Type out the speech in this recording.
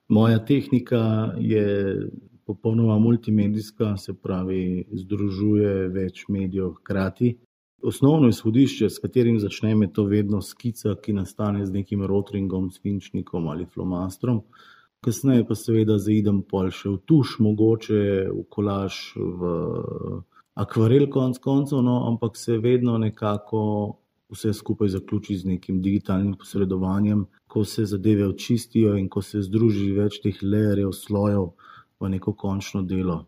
Moja tehnika je popolnoma multimedijska, se pravi, združuje več medijev hkrati. Osnovno izhodišče, s katerim začnem, je to vedno skica, ki nastane z nekim rotringom, svinčnikom ali flomastrom. Kasneje pa seveda zaidem pol še v tuš, mogoče v kolaž, v akvarel konec koncev, no, ampak se vedno nekako vse skupaj zaključi z nekim digitalnim posredovanjem, ko se zadeve očistijo in ko se združi več teh layerjev, slojev v neko končno delo.